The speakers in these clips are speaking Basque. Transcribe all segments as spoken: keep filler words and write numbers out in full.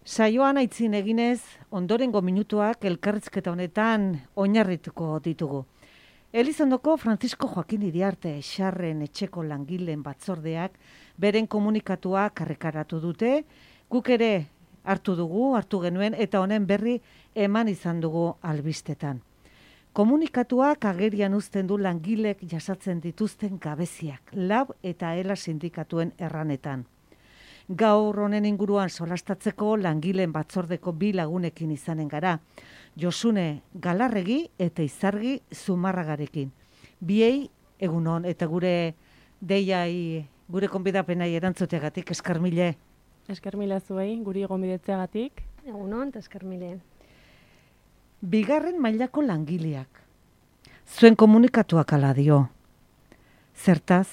Saioan aitzin eginez, ondorengo minutuak elkarrizketa honetan oinarrituko ditugu. Elizondoko Francisco Joaquin Iriarte Xarren etxeko langileen batzordeak beren komunikatuak arrekaratu dute, guk ere hartu dugu, hartu genuen, eta honen berri eman izan dugu albistetan. Komunikatuak agerian uzten du langilek jasatzen dituzten gabeziak, lab eta ela sindikatuen erranetan. Gaur honen inguruan solastatzeko langileen batzordeko bi lagunekin izanen gara, Josune Galarregi eta Izargi Zumarragarekin. Biei egunon eta gure deiai, gure konbidapenai erantzuteagatik eskarmile. Eskarmile zuei, guri gonbidetzeagatik. Egunon eta eskarmile. Bigarren mailako langileak. Zuen komunikatuak ala dio. Zertaz,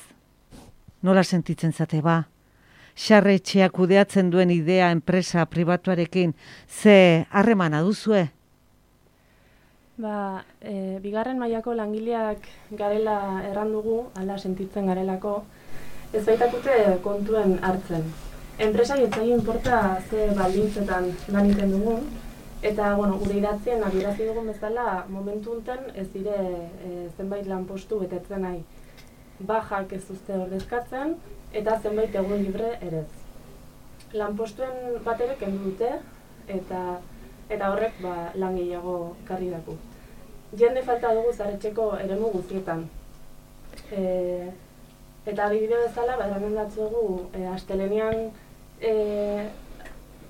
nola sentitzen zate ba? Xarre etxeak kudeatzen duen idea enpresa pribatuarekin ze harremana duzue? Ba, e, bigarren mailako langileak garela errandugu, ala sentitzen garelako, ez baitakute kontuen hartzen. Enpresa jetzai inporta ze baldintzetan lan egiten dugun, eta bueno, gure idatzien adierazi dugun bezala momentu honetan ez dire e, zenbait lanpostu betetzen nahi. Bajak ez duzte ordezkatzen, eta zenbait egun libre ere ez. Lanpostuen bat ere kendu dute, eta, eta horrek ba, lan gehiago karri daku. Jende falta dugu zaretxeko eremu guztietan. E, eta adibide bezala, ba, eramandatzu dugu, e, astelenean e,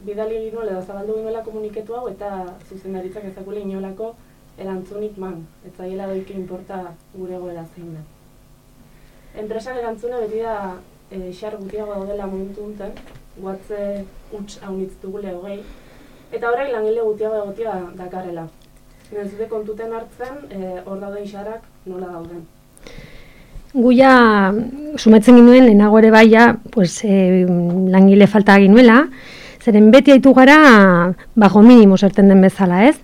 bidali ginuen edo zabaldu ginuela komuniketu hau, eta zuzendaritzak ezakule inolako erantzunik man. Ez zaiela doiki inporta gure goera zein da. Enpresan erantzune beti da e, xar gutiago daudela momentu honetan, guatze huts haunitz dugule hogei, eta orain langile gutiago egotia dakarrela. Ez dute kontuten hartzen, e, hor dauden xarrak nola dauden. Guia, sumetzen ginuen, lehenago ere baia, pues, e, langile falta ginuela, zeren beti haitu gara bajo minimo zerten den bezala, ez?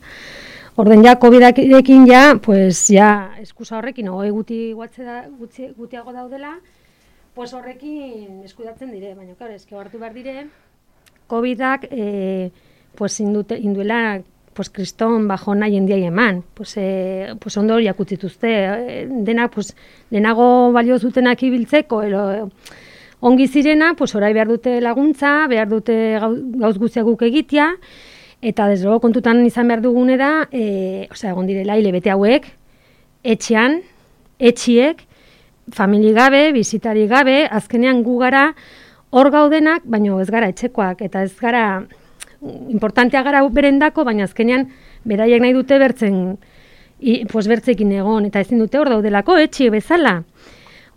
Orden ja, covidarekin ja, pues ja, eskusa horrekin, hogei guti guatze da, gutzi, gutiago daudela, pues horrekin eskudatzen dire, baina, claro, eske hartu behar dire, covidak, eh, pues indute, induela, pues kriston bajona jendiai eman, pues, eh, pues ondo horiak utzituzte, eh, denak, pues, lehenago balio zutenak ibiltzeko, ero, ongi zirena, pues orai behar dute laguntza, behar dute gauz guztiak guk egitea, eta desde luego kontutan izan behar dugune da, e, osea, egon direla hilabete hauek, etxean, etxiek, famili gabe, bizitari gabe, azkenean gu gara hor gaudenak, baina ez gara etxekoak, eta ez gara, importantea gara berendako, baina azkenean beraiek nahi dute bertzen, i, pues bertzekin egon, eta ezin dute hor daudelako, etxi bezala.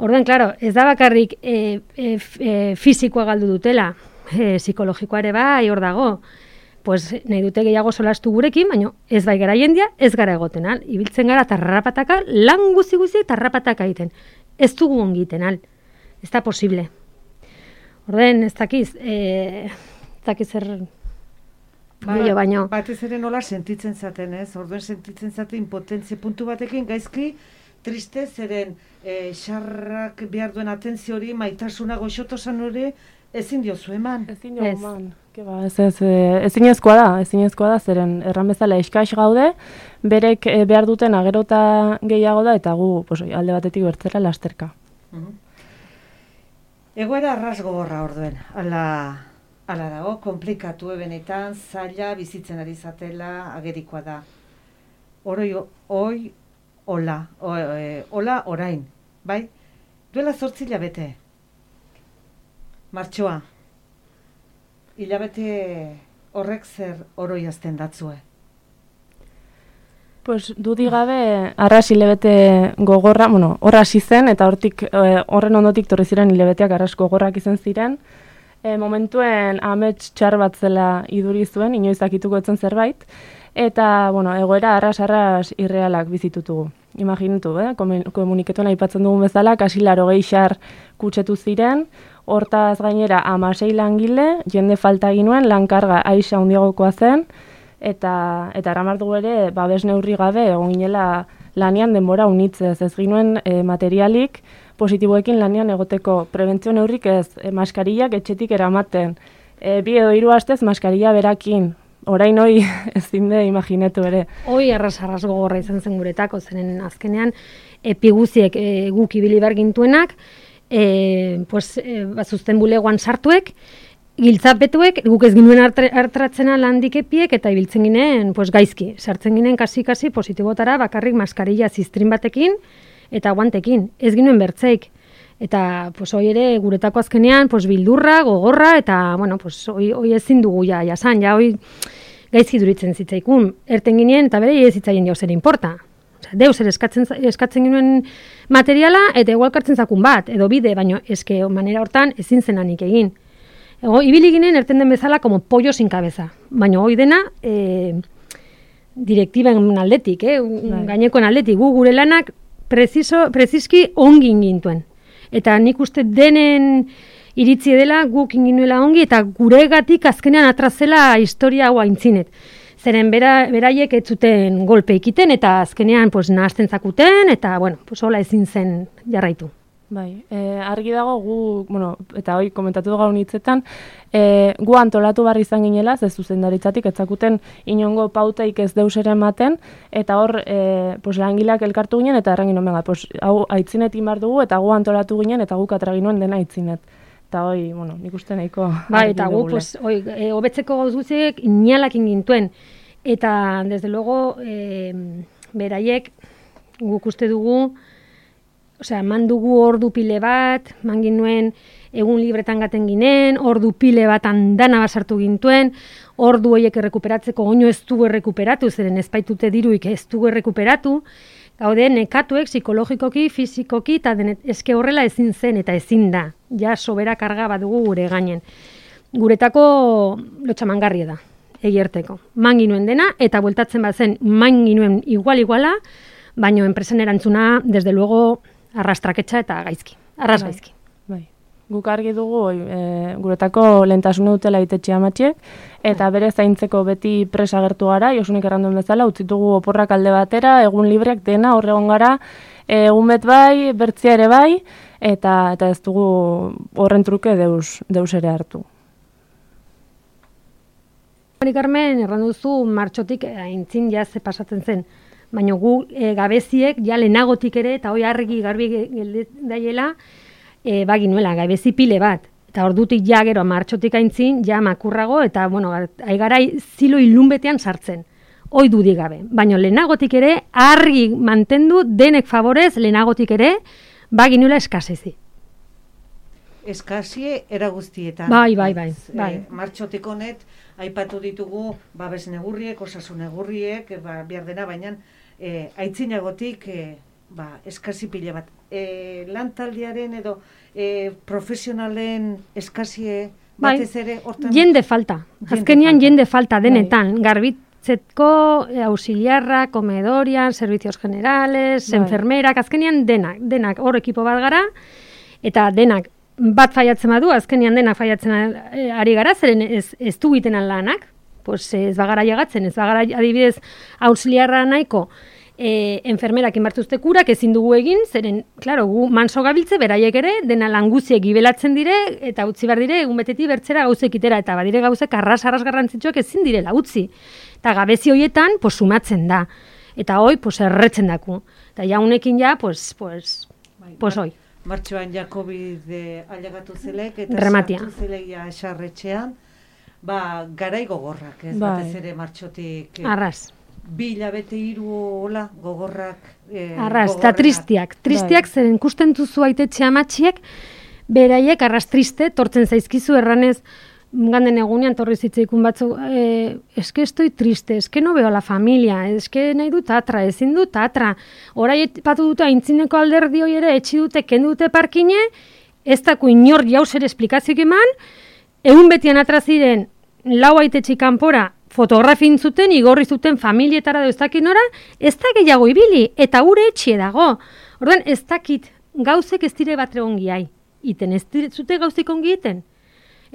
Orduan, claro, ez da bakarrik e, e, e, fizikoa galdu dutela, e, psikologikoa ere bai hor dago, pues nahi dute gehiago solastu gurekin, baina ez bai gara jendia, ez gara egoten al. Ibiltzen gara tarrapataka, lan guzi guzi tarrapataka egiten. Ez dugu ongiten al. Ez da posible. Orden, ez dakiz, eh, ez dakiz zer... Ba, baino. Batez ere nola sentitzen zaten, ez? Orduen sentitzen zaten impotentzi puntu batekin, gaizki, triste, zeren eh, xarrak behar duen atentzio hori, maitasuna goxotosan hori, ezin diozu eman. Ezin diozu eman. Ba, ez, ez, ezinezkoa da, ezinezkoa da, zeren erran bezala eskaix gaude, berek e, behar duten agerota gehiago da, eta gu pues, alde batetik bertzera lasterka. Uh-huh. Egoera arras gogorra orduen, ala, ala dago, komplikatu ebenetan, zaila bizitzen ari zatela agerikoa da. Oroi, oi, hola, o, e, hola orain, bai? Duela zortzi hilabete, martxoa. Hilabete horrek zer oroiazten datzue? Pues dudi gabe arras hilabete gogorra, bueno, horra hasi zen eta hortik e, horren ondotik torri ziren hilabeteak arras gogorrak izan ziren. E, momentuen amets txar bat zela iduri zuen, inoiz dakituko etzen zerbait, eta bueno, egoera arras-arras irrealak bizitutugu. Imaginatu, eh? Komuniketuan aipatzen dugun bezala, kasi larogei xar kutsetu ziren, hortaz gainera hamasei langile, jende falta ginuen, lankarga aixa handiagokoa zen, eta eta eraman dugu ere, babes neurri gabe, egon ginela lanean denbora unitzez, ez ginuen e, materialik positiboekin lanean egoteko prebentzio neurrik ez, e, maskarillak etxetik eramaten, e, bi edo hiru astez maskarilla berakin. Orain hoi ezin de imaginetu ere. Hoi arras-arras gogorra izan zen guretako, zeren azkenean epiguziek e, guk ibili behar gintuenak, e, pues, e, bazuzten bulegoan sartuek, giltzapetuek, guk ez ginuen hartratzena landik epiek, eta ibiltzen ginen pues, gaizki. Sartzen ginen kasi-kasi positibotara bakarrik maskarilla ziztrin batekin eta guantekin. Ez ginuen bertzeik. Eta pues, hoi ere guretako azkenean pues, bildurra, gogorra, eta bueno, pues, hoi, hoi ezin dugu ja, jasan, ja hoi gaizki duritzen zitzaikun. Erten ginen, eta bere ez zitzaien deus ere importa. Osea, deus ere eskatzen, eskatzen ginen materiala, eta igual kartzen zakun bat, edo bide, baina eske manera hortan ezin zenanik egin. Ego, ibili ginen erten den bezala como pollo sin cabeza. Baina hoi dena e, direktiben aldetik, eh? Gainekoen aldetik, gu gure lanak preciso, preziski ongin gintuen. Eta nik uste denen iritzi dela guk inginuela ongi, eta guregatik azkenean atrazela historia hau aintzinet. Zeren bera, beraiek ez zuten golpe ikiten, eta azkenean pues, nahazten zakuten, eta bueno, pues, hola ezin zen jarraitu. Bai, e, argi dago gu, bueno, eta hoi komentatu dugu gaun hitzetan, e, gu antolatu barri izan ginela, ze zuzendaritzatik etzakuten inongo pautaik ez deus ere ematen, eta hor e, pues, langileak elkartu ginen, eta errangin omega, pues, hau aitzinet imar dugu, eta gu antolatu ginen, eta guk atraginuen dena aitzinet. Eta hoi, bueno, nik uste nahiko... Bai, eta gu, pues, hoi, e, hobetzeko gauz guztiek inalak ingintuen, eta, desde luego, e, beraiek, guk uste dugu, osea, eman dugu ordu pile bat, man ginuen egun libretan gaten ginen, ordu pile bat andana basartu gintuen, ordu horiek errekuperatzeko oino ez dugu errekuperatu, zeren ez baitute diruik ez dugu errekuperatu, gaude nekatuek psikologikoki, fizikoki, eta denet, eske horrela ezin zen eta ezin da, ja sobera karga bat dugu gure gainen. Guretako lotxamangarria da, egierteko. Man ginuen dena, eta bueltatzen bat zen, man ginuen igual-iguala, baino enpresen erantzuna, desde luego, arrastraketxa eta gaizki, arras bai, gaizki. Bai. Guk argi dugu e, guretako lehentasuna dutela itetxe amatxiek, eta bere zaintzeko beti presa agertu gara, Josunik erranduen bezala, utzitugu oporrak alde batera, egun libreak dena, horregon gara, egun bet bai, bertzia ere bai, eta eta ez dugu horren truke deus, deus ere hartu. Carmen, erranduzu martxotik aintzin jaz pasatzen zen, baina gu e, gabeziek, ja lehenagotik ere, eta hoi argi garbi daiela, e, baginuela, gabezi pile bat. Eta ordutik ja gero martxotik aintzin, ja makurrago, eta, bueno, aigarai zilo ilunbetean sartzen. Hoi dudik gabe. Baina lehenagotik ere, argi mantendu denek favorez, lehenagotik ere, baginuela eskasezi. Eskasie era guztietan. Bai, bai, bai. bai. E, martxotik honet, aipatu ditugu babes negurriek, osasun negurriek, ba, behar dena, baina e, aitzinagotik e, ba, eskasi pile bat. E, lantaldiaren edo e, profesionalen eskasie batez ere hortan... Jende falta. Jende Azkenean falta. Jende falta denetan. Bai. Garbitzetko, auxiliarra, komedorian, servicios generales, bai. Enfermerak, azkenean denak, denak hor ekipo bat gara, eta denak bat faiatzen badu, azkenean dena faiatzen ari gara, zeren ez, ez du giten lanak, pues ez bagara llegatzen, ez bagara adibidez auxiliarra nahiko, e, enfermerak inbartuzte kurak ezin dugu egin, zeren, klaro, gu manso gabiltze, beraiek ere, dena languziek gibelatzen dire, eta utzi behar dire, egun beteti bertzera gauzek itera, eta badire gauzek arras-arras garrantzitsuak ezin direla utzi. Eta gabezi hoietan, pues sumatzen da. Eta hoi, pues erretzen daku. Eta jaunekin ja, pues, pues, pues hoi. Martxoan ja COVID ailegatu zelek, eta Rematia. sartu zeleia esarretxean, ba, garai gogorrak, ez bai. batez ere martxotik. Arras. Bi hilabete hiru hola gogorrak. Eh, arras, eta tristiak. Tristiak bai. zeren ikusten duzu aitetxe amatxiek, beraiek arras triste, tortzen zaizkizu erranez, ganden egunean torri zitzeikun batzu, eh, eske estoi triste, eske no veo la familia, eske nahi dut atra, ezin dut atra. Horai batu dute aintzineko alderdi hoi ere, etxi dute, kendu dute parkine, ez dako inor jauz ere esplikazioik eman, egun betian atra ziren, lau aitetxi kanpora, fotografin zuten, igorri zuten familietara da ez dakit nora, ez da gehiago ibili, eta ure etxie dago. Orduan, ez dakit gauzek ez dire batre ongi ai, iten, ez dire zute gauzek ongi iten.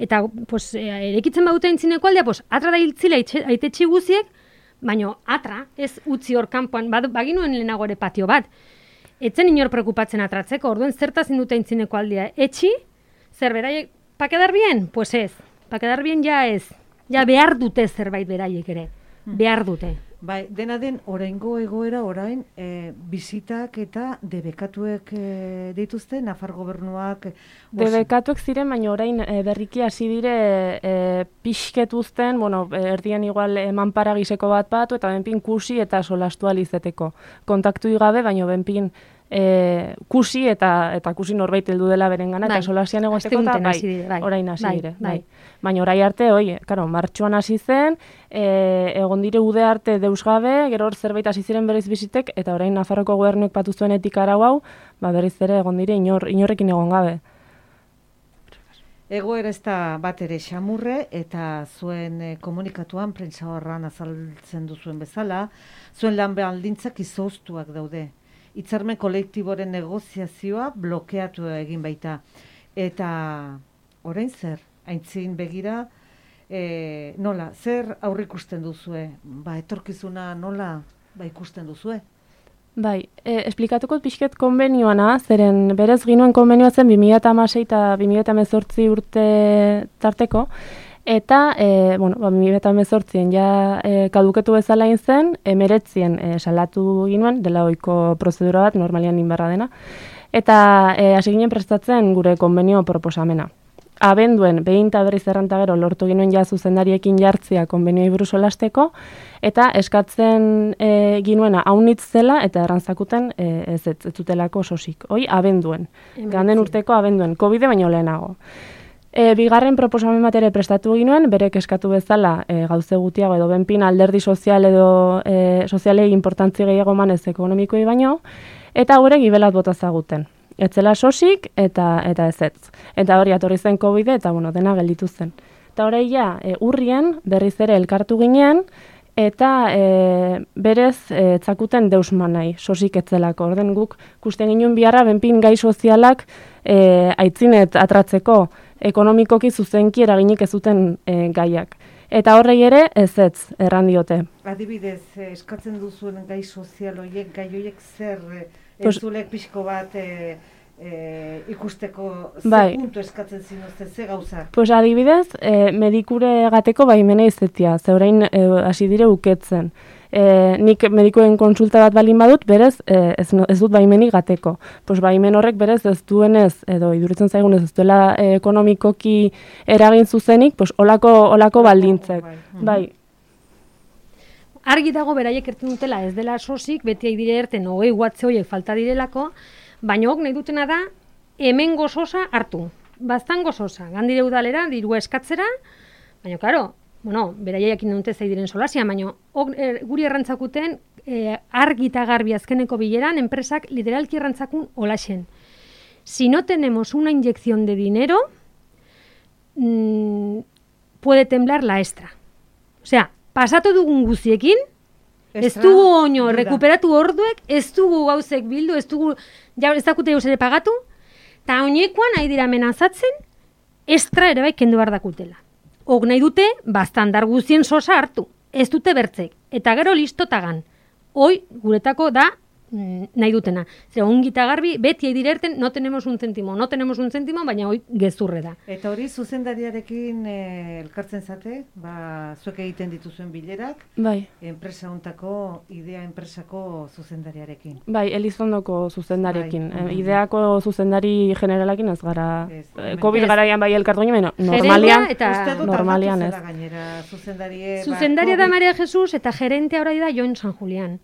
Eta, pues, erekitzen badute aintzineko aldea, pues, atra da hiltzila aitetxi guziek, baino atra, ez utzi hor kanpoan, baginuen lehenago ere patio bat. Etzen inor prekupatzen atratzeko, orduan zertaz indute aintzineko aldea. Etxi, zer beraiek, pa quedar bien? Pues ez. pa quedar bien ja ez. Ja behar dute zerbait beraiek ere. Behar dute. Bai, dena den, oraingo egoera orain, e, bizitak eta debekatuek e, dituzte, Nafar gobernuak... Debekatuek ziren, baina orain e, berriki hasi dire e, pixket uzten, bueno, erdien igual emanpara giseko bat batu, eta benpin kusi eta solastu alizeteko. Kontaktu igabe, baina benpin e, kusi eta eta kusi norbait heldu dela berengana, bai, eta solasian egoteko eta bai, dire, bai, orain hasi bai, dire. Bai. Bai. Baina orai arte, oi, karo, martxuan hasi zen, e, egon dire ude arte deus gabe, gero hor zerbait hasi ziren berriz bizitek, eta orain Nafarroko gobernuek patu zuen etika arau hau, ba berriz ere egon dire inor, inorrekin egon gabe. Egoera ez da bat ere xamurre, eta zuen eh, komunikatuan, prentsa horran azaltzen duzuen bezala, zuen lan baldintzak izoztuak daude. Hitzarmen kolektiboren negoziazioa blokeatu egin baita. Eta orain zer, aintzin begira, e, nola, zer aurrikusten duzue? Ba, etorkizuna nola ba, ikusten duzue? Bai, e, esplikatuko pixket konbenioana, zeren berez ginuen konbenioa zen bi mila hamasei eta bi mila hemezortzi urte tarteko, eta, e, bueno, ba, bi mila hemezortzien ja e, kaduketu bezala zen, emeretzien e, salatu ginuen, dela ohiko prozedura bat, normalian inbarra dena, eta e, hasi ginen prestatzen gure konbenio proposamena. Abenduen, behin eta berriz erranta gero, lortu ginuen ja zuzendariekin jartzia konbenioi buruz solasteko, eta eskatzen e, ginuena haunitz zela, eta errantzakuten e, ez ez zutelako sosik. Hoi, abenduen. Ganden urteko abenduen, COVID baino lehenago. E, bigarren proposamen bat ere prestatu ginuen, berek eskatu bezala e, gauze gutiago edo benpin alderdi sozial edo e, sozialei importantzi gehiago manez ekonomikoi baino, eta hauek gibelat bota zaguten. Etzela sosik eta eta ezetz. Eta hori atorri zen COVID eta bueno, dena gelditu zen. Eta hori ja, e, urrien berriz ere elkartu ginen eta e, berez e, etzakuten deusman nahi, sosik etzelako. Orden guk kusten ginen biharra benpin gai sozialak e, aitzinet atratzeko ekonomikoki zuzenki eraginik ez zuten e, gaiak. Eta horrei ere ezetz erran diote. Adibidez, eskatzen duzuen gai sozial horiek, gai horiek zer entzulek pixko bat e, e, ikusteko ze bai. Puntu eskatzen zinuzte, ze gauzak? Pues adibidez, e, medikure gateko baimena izetia, zeurein e, hasi dire uketzen. E, nik medikuen konsulta bat balin badut, berez e, ez, ez dut baimenik gateko. Pues baimen horrek berez ez duenez, edo iduritzen zaigunez ez duela e, ekonomikoki eragin zuzenik, pues olako, olako baldintzek. Bai. bai. Argi dago beraiek erten dutela ez dela sosik, beti aidire erten hogei guatze horiek falta direlako, baina hok nahi dutena da hemen gozosa hartu. Baztan gozosa, gandire udalera, dirua eskatzera, baina karo, bueno, beraiek indute zaidiren solasia, baina ok, er, guri errantzakuten e, argi eta garbi azkeneko bileran, enpresak literalki errantzakun holaxen. Si no tenemos una inyección de dinero, mmm, puede temblar la extra. O sea, pasatu dugun guziekin, ez dugu oino rekuperatu orduek, ez dugu gauzek bildu, ez dugu, ja, ez dakute gauz ere pagatu, eta oinekoan nahi dira amenazatzen, estra ere bai kendu behar dakutela. Hok nahi dute, bastandar guzien sosa hartu, ez dute bertzek, eta gero listotagan. Hoi, guretako da, nahi dutena. Zer, ongita garbi, beti eidirerten, no tenemos un céntimo, no tenemos un céntimo, baina hoi gezurre da. Eta hori zuzendariarekin eh, elkartzen zate, ba, zuek egiten dituzuen bilerak, bai. Enpresa hontako, idea enpresako zuzendariarekin. Bai, Elizondoko zuzendarekin. Bai. E, ideako zuzendari generalakin ez gara, ez, e, COVID garaian bai elkartu ginen, normalian, eta normalian ez. Gainera, zuzendarie, zuzendaria ba, da Maria Jesus eta gerentea orai da Jon San Julián.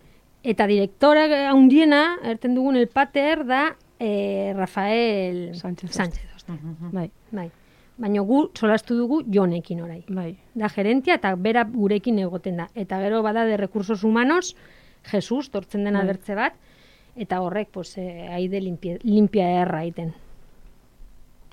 Eta direktora handiena, erten dugun el pater, da eh, Rafael Sánchez. Sánchez. Uh-huh. Bai. Bai. Baina gu solastu dugu Jonekin orai. Bai. Da gerentia eta bera gurekin egoten da. Eta gero bada de recursos humanos, Jesus, tortzen den abertze bat, eta horrek, pues, eh, aide limpia, limpia erra iten.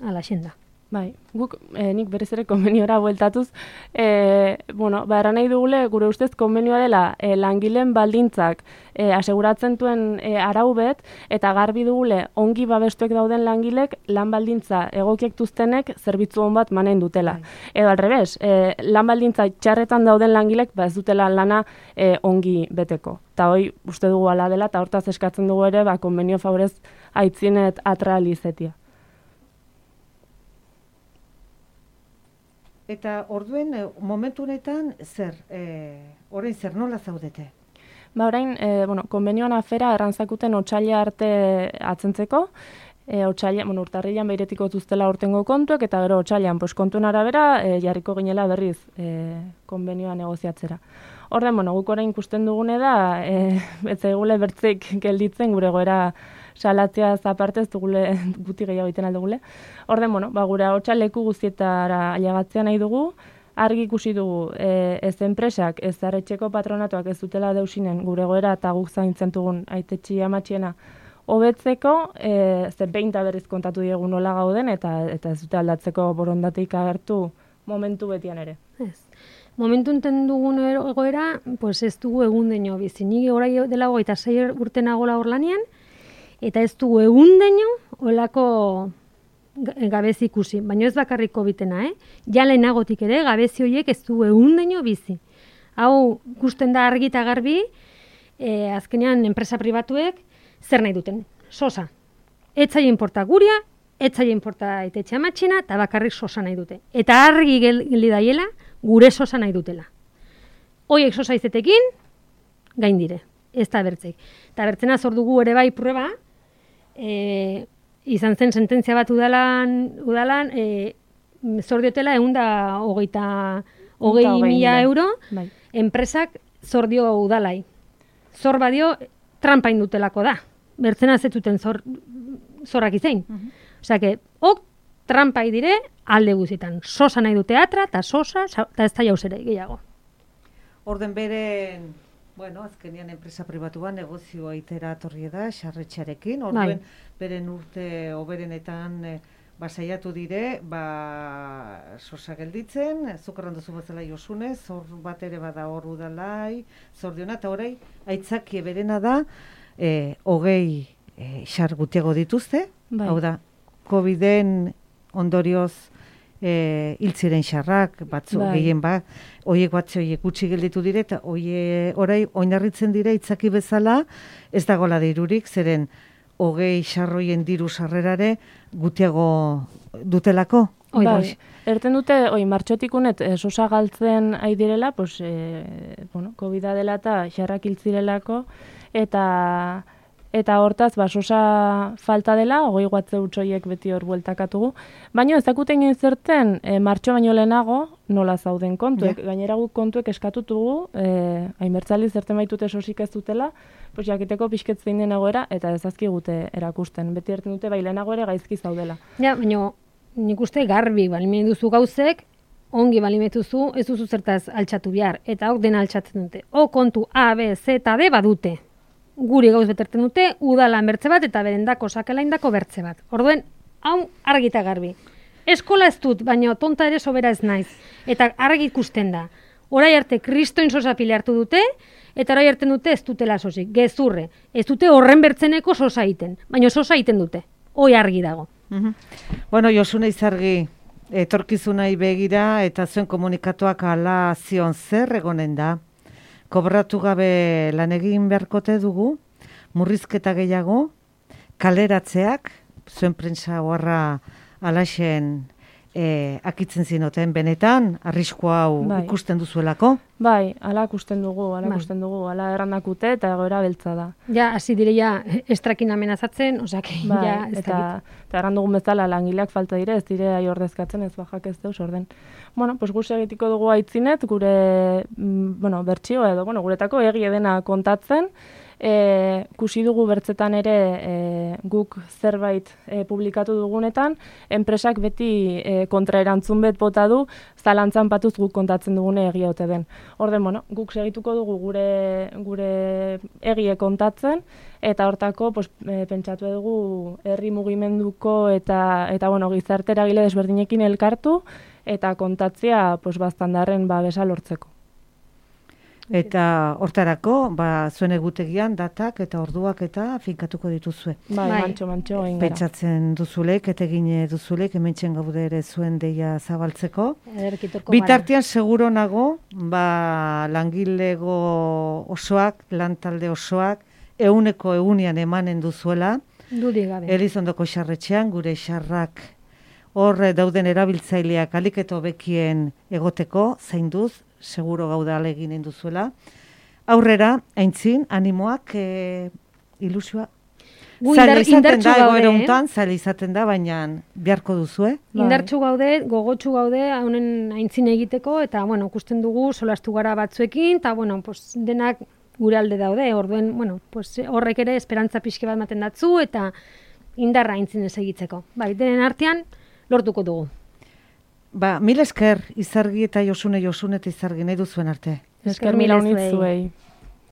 Ala xenda. Bai, guk eh, nik berez ere konbeniora bueltatuz, eh, bueno, ba, eran nahi dugule, gure ustez konbenioa dela eh, langileen baldintzak eh, aseguratzen duen eh, arau bet, eta garbi dugule ongi babestuek dauden langilek lan baldintza egokiek duztenek zerbitzu on bat manen dutela. Bai. Edo alrebez, eh, lan baldintza txarretan dauden langilek ba ez dutela lana eh, ongi beteko. Eta hoi uste dugu ala dela, eta hortaz eskatzen dugu ere ba, konbenio favorez aitzienet atralizetia. Eta orduen, momentu honetan, zer, e, orain zer nola zaudete? Ba, orain, e, bueno, konbenioan afera errantzakuten otsaila arte atzentzeko, e, otsaila, bueno, urtarrilan beiretiko zuztela urtengo kontuek, eta gero otsailan, pues, kontuen arabera, e, jarriko ginela berriz e, konbenioa negoziatzera. Orden, bueno, guk orain ikusten dugune da, e, ez zaigule bertzeik gelditzen gure goera salatzea zaparte ez dugule guti gehiago egiten aldugule. Orden, bueno, ba, gure hotxa leku guztietara ailegatzea nahi dugu, argi ikusi dugu e, ez enpresak, ez arretxeko patronatuak ez dutela deusinen gure goera eta guk zaintzen dugun aitetxi amatxiena hobetzeko, e, ze behin eta berriz kontatu diegu nola gauden eta eta ez dute aldatzeko borondateik agertu momentu betian ere. Ez. Momentu enten dugun egoera, pues ez dugu egun deino bizi. Ni orai dela hogeita sei urte nagola hor lanean, eta ez dugu egun deino olako gabezi ikusi. Baina ez bakarrik kobitena, eh? Ja lehenagotik ere, gabezi horiek ez dugu egun deino bizi. Hau, ikusten da argi eta garbi, eh, azkenean enpresa pribatuek zer nahi duten? Sosa. Etzaile inporta guria, etzaile inporta aitetxe amatxina, eta bakarrik sosa nahi dute. Eta argi geldi daiela, gure sosa nahi dutela. Hoiek sosa izetekin, gain dire. Ez da bertzeik. Eta bertzena zor dugu ere bai prueba, e, izan zen sententzia bat udalan, udalan e, zor diotela egun da hogeita hogei mila euro, bai. Enpresak zor dio udalai. Zor badio trampa indutelako da. Bertzena zetuten zor, zorrak izein. Uh-huh. Osea, que, ok, trampa dire alde guzietan. Sosa nahi dute atra, eta sosa, eta ez da jauzere gehiago. Orden beren, bueno, azkenian enpresa pribatua negozioa itera atorri da, xarretxarekin, orduen beren urte oberenetan e, basaiatu dire, ba, sosa gelditzen, zukarran duzu batzela josunez, zor bat ere bada hor udalai, zor diona, eta horrei, aitzakie berena da, e, hogei e, xar gutiago dituzte, bai. Hau da, Coviden ondorioz e, hiltziren xarrak, batzu bai. Gehien bat, oiek batze oiek gutxi gelditu dire, eta oie, orai, oinarritzen dire, itzaki bezala, ez dagoela dirurik, zeren hogei xarroien diru sarrerare gutiago dutelako. Bai, erten dute, oi, martxotik unet, e, sosa galtzen ari direla, pues, e, bueno, Covida dela eta xarrak hiltzirelako, eta... Eta hortaz, ba, sosa falta dela, hogei guatze utxoiek beti hor bueltakatugu. Baina ez dakuten zerten, e, martxo baino lehenago, nola zauden kontuek. Ja. Gainera guk kontuek eskatutugu, e, hainbertzali zerten baitute sosik ez dutela, pues jakiteko pixket zein den egoera, eta ez azkigute erakusten. Beti erten dute, bai lehenago ere gaizki zaudela. Ja, baina nik uste garbi balimen duzu gauzek, ongi balimetuzu, ez duzu zertaz altxatu behar, eta hok dena altxatzen dute. O kontu A, B, Z eta D badute. Guri gauz beterten dute, udalan bertze bat eta berendako sakelaindako bertze bat. Orduen, hau argita garbi. Eskola ez dut, baina tonta ere sobera ez naiz. Eta argi ikusten da. Orai arte kristoin sosa pile hartu dute, eta orai arte dute ez dutela sosik. Gezurre, ez dute horren bertzeneko sosa egiten. Baina sosa egiten dute. Hoi argi dago. Uh-huh. Bueno, Josune Izargi, etorkizunai begira eta zuen komunikatuak ala zion zer egonen da. Kobratu gabe lan egin beharkote dugu, murrizketa gehiago, kaleratzeak, zuen prentsa oharra alaxen e, akitzen zinoten benetan, arrisku hau bai. Ikusten duzuelako? Bai, ala ikusten dugu, ala bai. ikusten dugu, ala errandakute eta egoera beltza da. Ja, hasi dire ja, estrakin amenazatzen, osake, bai, ja, ez eta, eta errandugun bezala langileak falta dire, ez dire ai ordezkatzen, ez bajak ez deus orden. Bueno, pues guz egitiko dugu aitzinet, gure, bueno, bertxio edo, bueno, guretako egi edena kontatzen, E, kusi dugu bertzetan ere e, guk zerbait e, publikatu dugunetan, enpresak beti e, kontraerantzun bet bota du, zalantzan patuz guk kontatzen dugune egia ote den. Orden, bueno, guk segituko dugu gure, gure egie kontatzen, eta hortako pues, e, pentsatu dugu herri mugimenduko eta, eta bueno, gizarte eragile desberdinekin elkartu, eta kontatzea pues, baztandarren ba, besa lortzeko. Eta hortarako, ba, zuen egutegian datak eta orduak eta finkatuko dituzue. Bai, bai. mantxo, mantxo, egin gara. Pentsatzen duzulek, eta egine duzulek, hementxen gaude ere zuen deia zabaltzeko. Bitartean seguro nago, ba, langilego osoak, lantalde osoak, euneko eunian emanen duzuela. Dudik gabe. Elizondoko xarretxean, gure xarrak hor eh, dauden erabiltzaileak aliketo bekien egoteko, zainduz, seguro gaude alegin duzuela. Aurrera, aintzin, animoak, e, ilusioa. Zaila izaten da, egoera untan, zaila izaten da, baina beharko duzu, eh? Indartxu gaude, gogotsu gaude, honen aintzin egiteko, eta, bueno, ikusten dugu solastu gara batzuekin, eta, bueno, pues, denak gure alde daude, orduen, bueno, pues, horrek ere esperantza pixke bat maten datzu, eta indarra aintzin ez egitzeko. Bai, denen artean, lortuko dugu. Ba, mil esker, Izargi eta Josune, Josune eta Izargi nahi duzuen arte. Esker mila unitzuei.